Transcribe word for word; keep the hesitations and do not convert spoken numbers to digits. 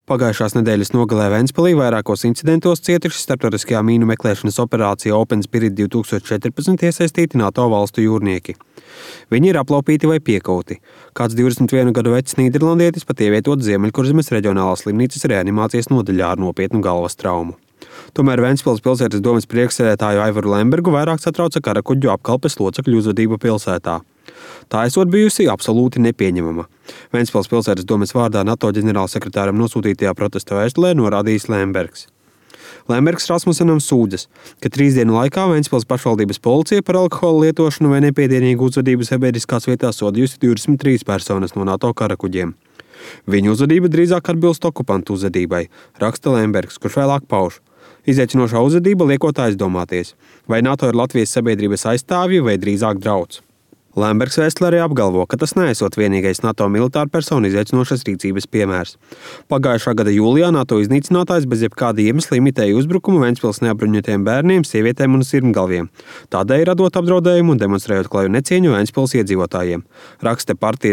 Pagājušās nedēļas nogalē Ventspilī vairākos incidentos cietuši starptautiskajā mīnu meklēšanas operācijā Open Spirit divi tūkstoši četrpadsmit iesaistīti NATO valstu jūrnieki. Viņi ir aplaupīti vai piekauti. Kāds divdesmit vienu gadu vecs nīderlandietis pat ievietots Ziemeļkurzemes reģionālās slimnīcas reanimācijas nodaļā ar nopietnu galvas traumu. Tomēr Ventspils pilsētas domes priekšsēdētāju Aivaru Lembergu vairāk satrauca karakuģu apkalpes locekļu uzvedība pilsētā. Tā esot bijusi absolūti nepieņemama. Ventspils pilsētas domes vārdā NATO ģenerālsekretāram nosūtītajā protesta vēstulē norādījis Lembergs. Lembergs Rasmusenam sūdzas, ka trīs dienu laikā Ventspils pašvaldības policija par alkohola lietošanu vai nepiedienīgu uzvedību sabiedriskās vietās sodījusi divdesmit trīs personas no NATO karakuģiem. Viņu uzvedība drīzāk atbilst okupantu uzvedībai, raksta Lembergs, kurš vēlāk pauž. Izaicinošā uzvedība liekot aizdomāties, vai NATO ir Latvijas sabiedrības aizstāvji vai drīzāk drauds. Lembergs vēstulē arī apgalvo, ka tas neesot vienīgais NATO militāru personu izaicinošas rīcības piemērs. Pagājušā gada jūlijā NATO iznīcinātājs bez jebkāda iemesla imitēja uzbrukumu Ventspils neapbruņotiem bērniem, sievietēm un sirmgalviem, tādēļ radot apdraudējumu un demonstrējot klaju necieņu Ventspils iedzīvotājiem, raksta partijas